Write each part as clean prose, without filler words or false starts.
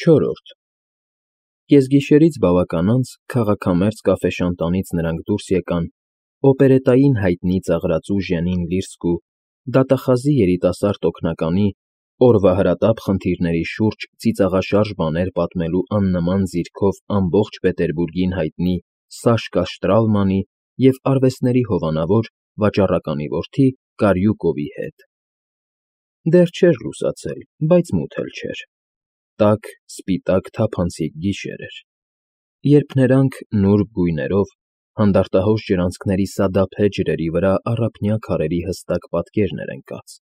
Չորրորդ Կեսգիշերից բավական անց քաղաքամերձ կաֆեշանտանից նրանք դուրս եկան օպերետային հայտնի ծաղրածու Ժանին Լիրսկու դատախազի երիտասարդ օգնականի օրվա հրատապ խնդիրների շուրջ ծիծաղաշարժ բաներ պատմելու աննման ձիրքով ամբողջ Պետերբուրգին հայտնի Սաշկա Շտրաումանի և արվեստների հովանավոր վաճառականի որդի Կարյուկովի հետ։ Դեռ չէր լուսացել, բայց մութ էլ չէր, տաք, սպիտակ թափանցիկ գիշեր էր, երբ նրանք նուրբ գույներով, հանդարտահոս ջրանցքների սադափե ջրերի վրա առափնյա քարերի հստակ պատկերներ ընկած,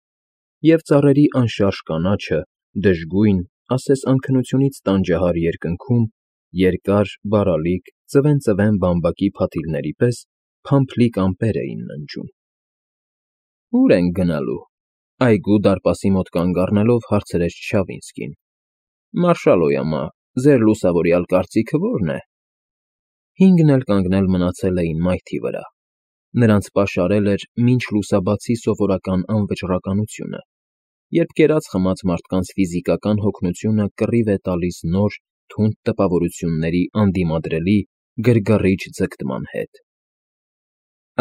և ծառերի անշարժ կանաչը դժգույն, ասես անքնությունից տանջահար երկնքում երկար, բարալիկ, ծվեն բամբակի փաթիլների պես փամփլիկ ամպեր էին ննջում։ Ո՞ւր ենք գնալու,֊ այգու դարպասի մոտ կանգ առնելով հարցրեց Չավինսկին։ Մարշալոյամա, ձեր լուսավորյալ կարծիքը ո՞րն է։ Հինգն էլ կանգնել մնացել էին մայթի վրա։ Նրանց պաշարել էր մինչ լուսաբացի սովորական անվճռականությունը, երբ կերած֊խմած մարդկանց ֆիզիկական հոգնությունը կռիվ է տալիս նոր, թունդ տպավորությունների անդիմադրելի, գրգռիչ ձգտման հետ։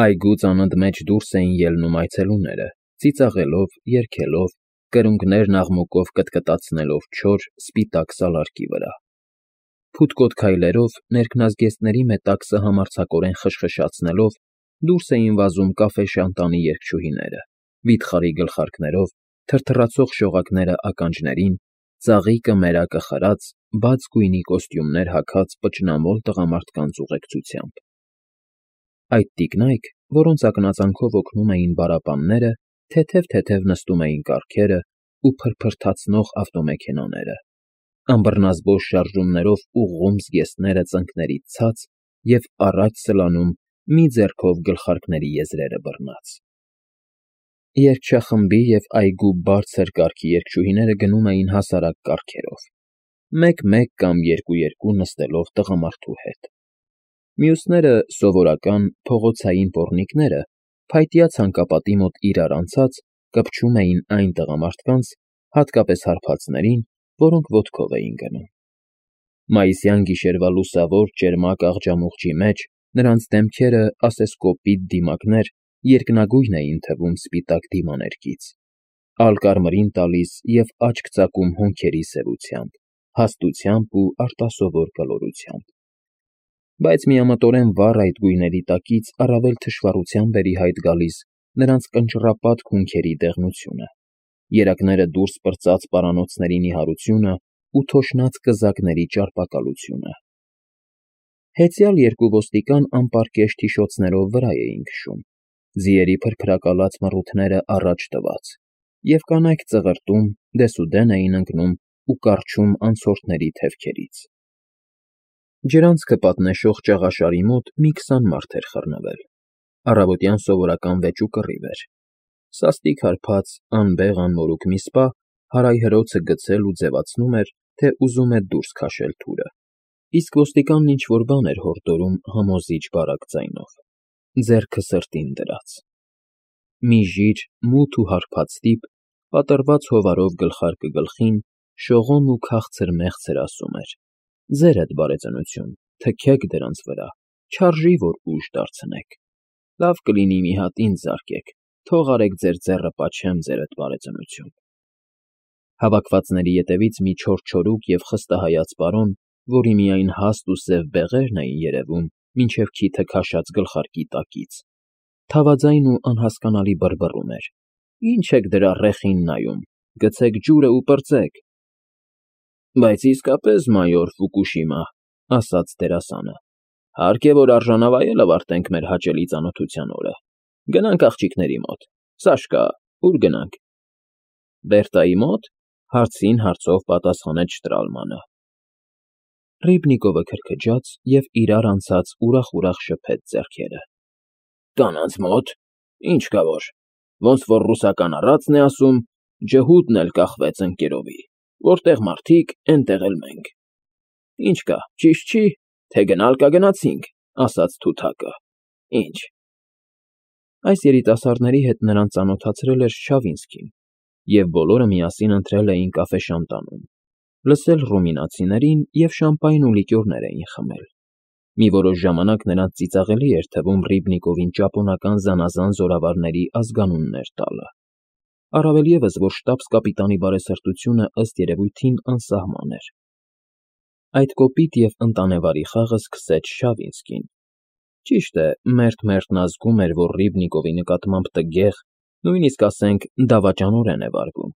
Այգուց անընդմեջ դուրս էին ելնում այցելուները, ծիծաղելով, երգելով, կրունկներն աղմուկով կտկտացնելով չոր, սպիտակ սալարկի վրա։ Փութկոտ քայլերով, ներքնազգեստների մետաքսը համարձակորեն խշխշացնելով, դուրս էին վազում կաֆեշանտանի երգչուհիները, վիթխարի գլխարկներով, թրթռացող շողակները ականջներին, ծաղիկը մերակը խրած, բաց գույնի կոստյումներ հագած պճնամոլ տղամարդկանց ուղեկցությամբ։ Այդ տիկնայք, որոնց ակնածանքով օգնում էին բարապանները, թեթև նստում էին կառքերը ու փրփրթացնող ավտոմեքենաները, անբռնազբոս շարժումներով ուղղում զգեստները ծնկներից ցած և առաջ սլանում մի ձեռքով գլխարկների եզրերը բռնած։ Երգչախմբի և այգու բարձր կարգի երգչուհիները գնում էին հասարակ կառքերով, մեկ֊մեկ կամ երկու նստելով տղամարդու հետ։ Մյուսները, սովորական, փողոցային պոռնիկները, փայտյա ցանկապատի մոտ իրար անցած, կպչում էին այն տղամարդկանց, հատկապես հարբածներին, որոնք ոտքով էին գնում։ Մայիսյան գիշերվա լուսավոր, ճերմակ աղջամուղջի մեջ նրանց դեմքերը, ասես կոպիտ դիմակներ, երկնագույն էին թվում սպիտակ դիմաներկից, ալկարմրին տալիս և աչք ծակում հոնքերի սևությամբ, հաստությամբ ու արտասովոր կլորությամբ։ Բայց միամտորեն վառ այդ գույների տակից առավել թշվառությամբ էր ի հայտ գալիս նրանց կնճռապատ հունքերի դեղնությունը, երակները դուրս պրծած պարանոցների նիհարությունը ու թոշնած կզակների ճարպակալությունը։ Հեծյալ երկու ոստիկան անպարկեշտ հիշոցներով վրա էին քշում, ձիերի փրփրակալած մռութները առաջ տված, և կանայք ծղրտում, դեսուդեն էին ընկնում ու կառչում անցորդների թևքերից։ Ջրանցքը պատնեշող ճաղաշարի մոտ մի 20 մարդ էր խռնվել, առավոտյան սովորական վեճ ու կռիվ էր, սաստիկ հարբած, անմորուք մի սպա հարայհրոցը գցել ու ձևացնում էր, թե ուզում է դուրս քաշել թուրը, իսկ ոստիկանն ինչ֊որ բան էր հորդորում համոզիչ բարակ ձայնով, ձեռքը սրտին դրած։ Մի ժիր, մութ ու հարբած տիպ, պատռված հովարով գլխարկը գլխին, շողոն ու քաղցր֊մեղցր ասում էր. «Ձերդ բարեծնություն, թքեք դրանց վրա, չարժի, որ ուժ դարձնեք, լավ կլինի մի հատ ինձ զարկեք, թող արեք ձեր ձեռը պաչեմ, ձերդ բարեծնություն»։ Հավաքվածների ետևից մի չոր և խստահայաց պարոն, որի միայն հաստ ու սև բեղերն էին երևում մինչև քիթը քաշած գլխարկի տակից, թավաձայն ու անհասկանալի բռբռում էր. «Ինչ եք դրա ռեխին նայում, գցեք ջուրը ու պրծեք»։ Բայց իսկապես, մայոր Ֆուկուշիմա, ասաց դերասանը, հարկ է, որ արժանավայել ավարտենք մեր հաճելի ծանոթության օրը։ Գնանք աղջիկների մոտ։ Սաշկա, ո՞ւր գնանք։ Բերտայի մոտ,֊ հարցին հարցով պատասխանեց Շտրալմանը։ Ռիբնիկովը քրքջաց և իրար անցած ուրախ շփեց ձեռքերը։ Կանանց մոտ, ինչ կա որ, ոնց որ ռուսական առածն է ասում, ջհուդն էլ կախվեց ընկերովի, որտեղ մարդիկ, էնտեղ էլ մենք։ Ինչ կա, ճիշտ չի, թե գնալ կա գնացինք, ասաց թութակը, ինչ։ Այս երիտասարդների հետ նրան ծանոթացրել էր Չավինսկին, և բոլորը միասին ընթրել էին կաֆեշանտանում, լսել ռումինացիներին և շամպայն ու լիկյորներ էին խմել։ Մի որոշ ժամանակ նրանց ծիծաղելի էր թվում Ռիբնիկովին ճապոնական զանազան զորավարների ազգանուններ տալը, առավել ևս, որ շտաբս֊կապիտանի բարեսրտությունը ըստ երևույթին անսահման էր։ Այդ կոպիտ և ընտանեվարի խաղը սկսեց Շավինսկին։ Ճիշտ է, մերթ-մերթ նա զգում էր, որ Ռիբնիկովի նկատմամբ տգեղ, նույնիսկ ասենք դավաճանորեն է վարվում,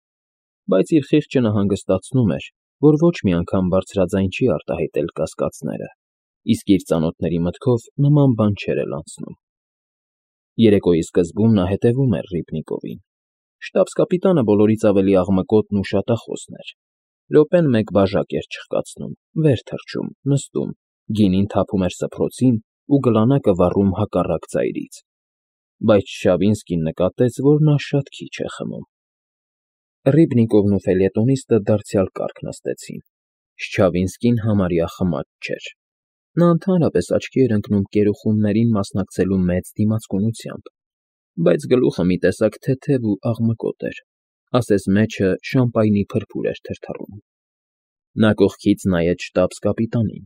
բայց իր խիղճը նահանգստացնում էր, որ ոչ մի անգամ բարձրաձայն չի արտահայտել կասկածները, իսկ իր ծանոթների մտքով նման բան չէր էլ անցնում։ Երեկոյի սկզբում նա հետևում էր Ռիբնիկովին։ Շտաբս֊կապիտանը բոլորից ավելի աղմկոտն ու շատախոսն էր։ Րոպեն մեկ բաժակ էր չխկացնում, վեր թռչում, նստում, գինին թափում էր սփռոցին ու գլանակը վառում հակառակ ծայրից։ Բայց Շավինսկին նկատեց, որ նա շատ քիչ է խմում։ Ռիբնիկովն ու ֆելյետոնիստը դարձյալ կառք նստեցին։ Շչավինսկին համարյա խմած չէր։ Նա ընդհանրապես աչքի էր ընկնում կերուխումներին մասնակցելու մեծ դիմացկունությամբ, բայց գլուխը մի տեսակ թեթև ու աղմկոտ էր, ասես մեջը շամպայնի փրփուր էր թրթռում։ Նա կողքից նայեց շտաբս֊կապիտանին։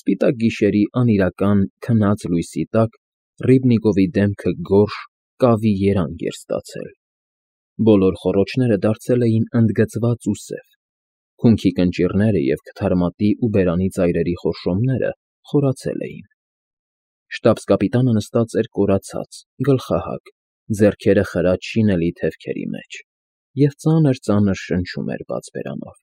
Սպիտակ գիշերի անիրական քնած լույսի տակ Ռիբնիկովի դեմքը գորշ, կավի երանգ էր ստացել։ Բոլոր խոռոչները դարձել էին ընդգծված ու սև։ Հունքի կնճիռները և քթարմատի ու բերանի ծայրերի խորշոմները խորացել էին։ Շտաբս֊կապիտանը նստած էր կորացած, գլխահակ, ձեռքերը խրած շինելի թևքերի մեջ և ծանր֊ծանր շնչում էր բաց բերանով։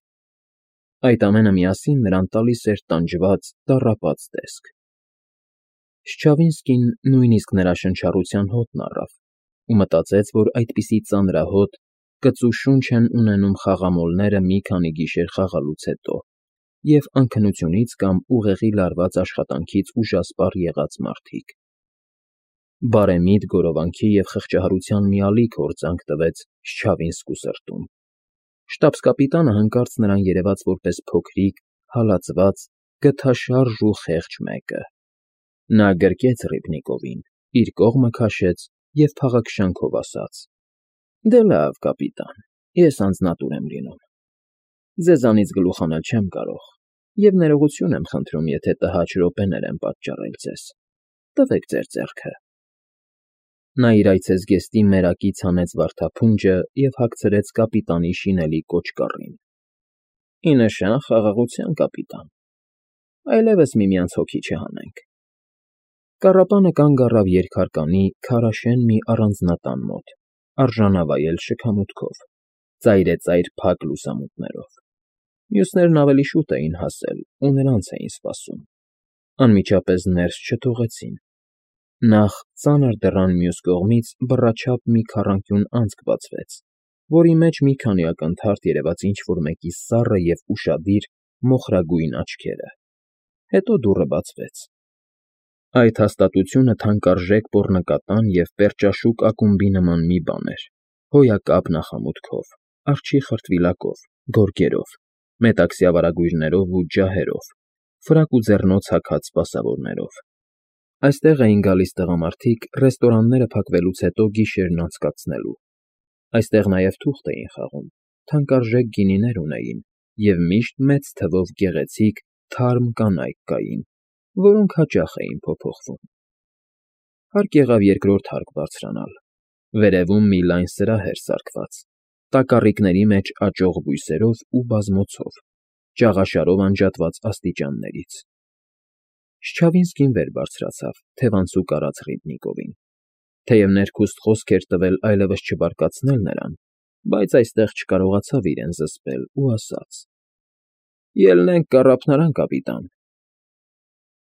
Այդ ամենը միասին նրան տալիս էր տանջված, տառապած տեսք։ Շչավինսկին նույնիսկ նրա շնչառության հոտն առավ ու մտածեց, որ այդպիսի ծանրահոտ, կծու շունչ են ունենում խաղամոլները մի քանի գիշեր խաղալուց հետո և անքնությունից կամ ուղեղի լարված աշխատանքից ուժասպառ եղած մարդիկ։ Բարեմիտ գորովանքի և խղճահարության մի ալիք հորձանք տվեց Շչավինսկու սրտում։ Շտաբս֊կապիտանը հանկարծ նրան երևաց որպես փոքրիկ, հալածված, գթաշարժ ու խեղճ մեկը։ Նա գրկեց Ռիբնիկովին, իր կողմը քաշեց և փաղաքշանքով ասաց. «Դե լավ, կապիտան, ես անձնատուր եմ լինում։ Ձեզանից գլուխ հանել չեմ կարող և ներողություն եմ խնդրում, եթե տհաճ րոպեներ եմ պատճառել ձեզ։ Տվեք ձեր ձեռքը»։ Նա իր այցեզգեստի մերակից հանեց վարդափունջը և հագցրեց կապիտանի շինելի կոճկառին։ «Ի նշան խաղաղության, կապիտան, այլևս միմյանց հոգի չհանենք»։ Կառապանը կանգ առավ երկհարկանի քարաշեն մի առանձնատան մոտ, արժանավայել շքամուտքով, ծայրեծայր փակ լուսամուտներով։ Մյուսներն ավելի շուտ էին հասել ու նրանց էին սպասում։ Անմիջապես ներս չթողեցին։ Նախ ծանր դռան մյուս կողմից բռաչափ մի քառանկյուն անցք բացվեց, որի մեջ մի քանի ակնթարթ երևաց ինչ֊որ մեկի սառը և ուշադիր մոխրագույն աչքերը։ Հետո դուռը բացվեց։ Այդ հաստատությունը թանկարժեք պոռնկատան և պերճաշուք ակումբի նման մի բան էր, հոյակապ նախամուտքով, արջի խրտվիլակով, գորգերով, մետաքսյա վարագույրներով ու ջահերով, ֆրակ ու ձեռնոց հագած սպասավորներով։ Այստեղ էին գալիս տղամարդիկ ռեստորանները փակվելուց հետո գիշերն անցկացնելու։ Այստեղ նաև թուղթ էին խաղում, թանկարժեք գինիներ ունեին և միշտ մեծ թվով գեղեցիկ, թարմ կանայք կային, որոնք հաճախ էին փոփոխվում։ Հարկ եղավ երկրորդ հարկ բարձրանալ։ Վերևում մի լայն սրահ էր սարքված, տակառիկների մեջ աճող բույսերով ու բազմոցով, ճաղաշարով անջատված աստիճաններից։ Շչավինսկին վեր բարձրացավ, թևանցուկ արած Ռիբնիկովին։ Թեև ներքուստ խոսք էր տվել այլևս չբարկացնել նրան, բայց այստեղ չկարողացավ իրեն զսպել ու ասաց. «Ելնենք կառափնարան, կապիտան»։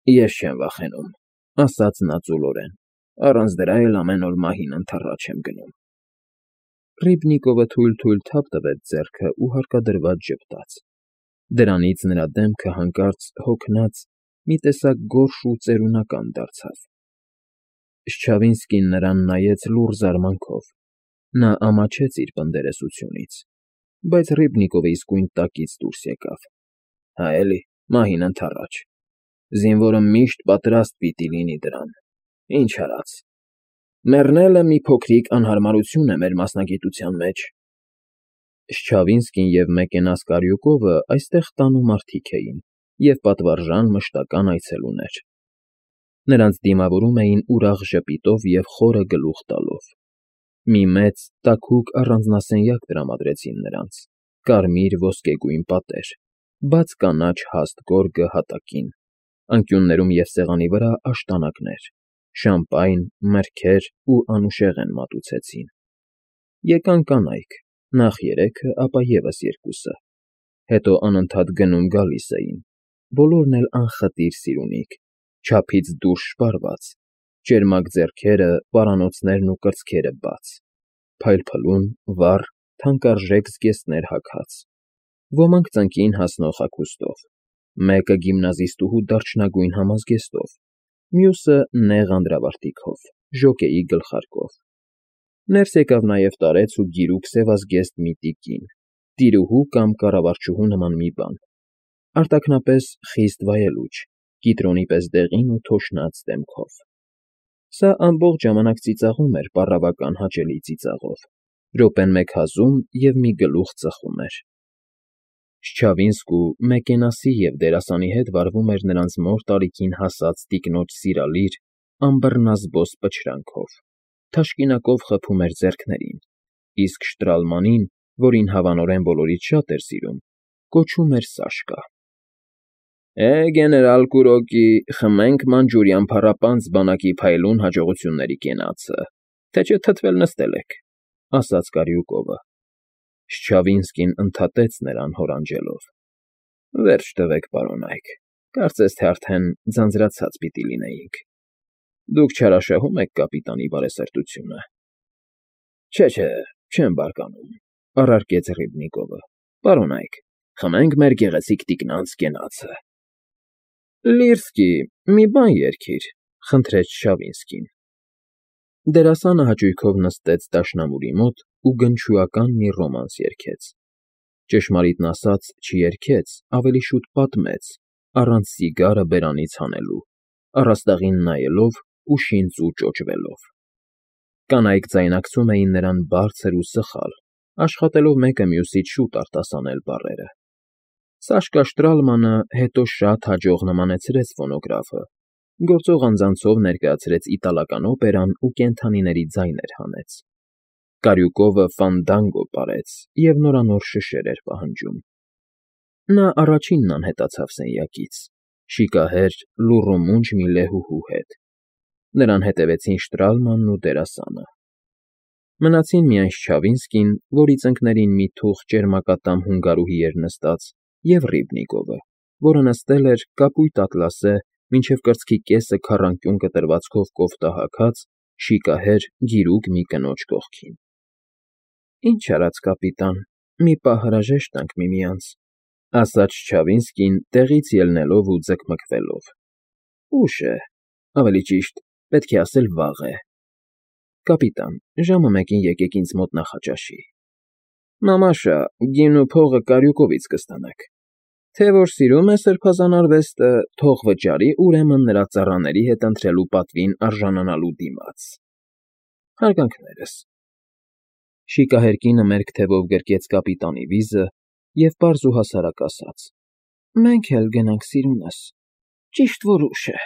«Ես չեմ վախենում», ասաց նա ծուլորեն, «առանց դրա էլ ամեն օր մահին ընդառաջ եմ գնում»։ Ռիբնիկովը թույլ֊թույլ թափ տվեց ձեռքը ու հարկադրված ժպտաց։ Դրանից նրա դեմքը հանկարծ հոգնած, մի տեսակ գորշ ու ծերունական դարձավ։ Շչավինսկին նրան նայեց լուռ զարմանքով։ Նա ամաչեց իր պնդերեսությունից, բայց Ռիբնիկովը իսկույն տակից դուրս եկավ։ «Հա էլի, մահին ընդառաջ։ Զինվորը միշտ պատրաստ պիտի լինի դրան։ Ինչ արած։ Մեռնելը մի փոքրիկ անհարմարություն է մեր մասնագիտության մեջ»։ Շչավինսկին և Մեկենաս Կարյուկովը այստեղ տանու մարդիկ էին և պատվարժան մշտական այցելուներ. նրանց դիմավորում էին ուրախ ժպիտով և խորը գլուխ տալով։ Մի մեծ, տաքուկ առանձնասենյակ տրամադրեցին նրանց, կարմիր ոսկեգույն պատեր, բաց կանաչ հաստ գորգը հատակին, անկյուններում և սեղանի վրա աշտանակներ, շամպայն, մրգեր ու անուշեղեն մատուցեցին։ Եկան կանայք, նախ երեքը, ապա ևս երկուսը, հետո անընդհատ գնում֊գալիս էին, բոլորն էլ անխտիր սիրունիկ, չափից դուրս շպարված, ճերմակ ձեռքերը, պարանոցներն ու կրծքերը բաց, փայլփլուն, վառ, թանկարժեք զգեստներ հագած, ոմանք ծնկին հասնող հագուստով, մեկը գիմնազիստուհու դարչնագույն համազգեստով, մյուսը նեղ անդրավարտիքով, ժոկեի գլխարկով։ Ներս եկավ նաև տարեց ու գիրուկ սևազգեստ մի տիկին, տիրուհու կամ կառավարչուհու նման մի բան, արտաքնապես խիստ վայելուչ, կիտրոնի պես դեղին ու թոշնած դեմքով։ Սա ամբողջ ժամանակ ծիծաղում էր պառավական հաճելի ծիծաղով, րոպեն մեկ հազում և մի գլուխ ծխում էր։ Շչավինսկու, Մեկենասի և դերասանի հետ վարվում էր նրանց մոր տարիքին հասած տիկնոջ սիրալիր, անբռնազբոս պչրանքով, թաշկինակով խփում էր ձեռքներին, իսկ Շտրալմանին, որին հավանորեն բոլորից շատ էր սիրում, կոչում էր Սաշկա։ Գեներալ Կուրոկի, խմենք մանջուրյան փառապանծ բանակի փայլուն հաջողությունների կենացը, թե չէ թթվել նստել եք, ասաց Կարյուկովը։ Շչավինսկին ընդհատեց նրան հորանջելով. Վերջ տվեք, պարոնայք, կարծես թե արդեն ձանձրացած պիտի լինեինք։ Դուք չարաշահում եք կապիտանի բարեսրտությունը։ Չէ, չեմ բարկանում, առարկեց Ռիբնիկովը։ Պարոնայք, խմենք մեր գեղեցիկ տիկնանց կենացը։ Լիրսկի, մի բան երգիր, խնդրեց Շչավինսկին։ Դերասանը հաճույքով նստեց դաշնամուրի մոտ ու գնչուական մի ռոմանս երգեց։ Ճշմարիտն ասած, չերգեց, ավելի շուտ պատմեց, առանց սիգարը բերանից հանելու, առաստաղին նայելով ու շինծու ճոճվելով։ Կանայք ձայնակցում էին նրան բարձր ու սխալ, աշխատելով մեկը մյուսից շուտ արտասանել բառերը։ Սաշկա Շտրալմանը հետո շատ հաջող նմանեցրեց ֆոնոգրաֆը, գործող անձանցով ներկայացրեց իտալական օպերան ու կենդանիների ձայներ հանեց։ Կարյուկովը ֆանդանգո պարեց և նորանոր շշեր էր պահանջում։ Նա առաջինն անհետացավ սենյակից, շիկահեր, լուռումունջ մի լեհուհու հետ։ Նրան հետևեցին Շտրալմանն ու դերասանը։ Մնացին միայն Շչավինսկին, որի ծնկներին մի թուղթ ճերմակատամ հունգարուհի էր նստած, և Ռիբնիկովը, որը նստել էր կապույտ ատլասե, մինչև կրծքի կեսը քառանկյուն կտրվածքով կոֆտա հագած, շիկահեր, գիրուկ մի կնոջ կողքին։ Ինչ արած, կապիտան, մի պահ հրաժեշտ տանք միմյանց, ասաց Շչավինսկին, տեղից ելնելով ու ձգմգվելով։ Ուշ է, ավելի ճիշտ, պետք է ասել վաղ է։ Կապիտան, ժամը 1-ին եկեք ինձ մոտ նախաճաշի։ Մամաշա, գինն ու փողը Կարյուկովից կստանաք։ Թե որ սիրում է սրբազան արվեստը, թող վճարի ուրեմն նրա ծառաների հետ ընթրելու պատվին արժանանալու դիմաց։ Հարգանքներս։ Շիկահեր կինը մերկ թևով գրկեց կապիտանի վիզը և պարզ ու հասարակ ասաց. Մենք էլ գնանք, սիրունս, ճիշտ որ ուշ է։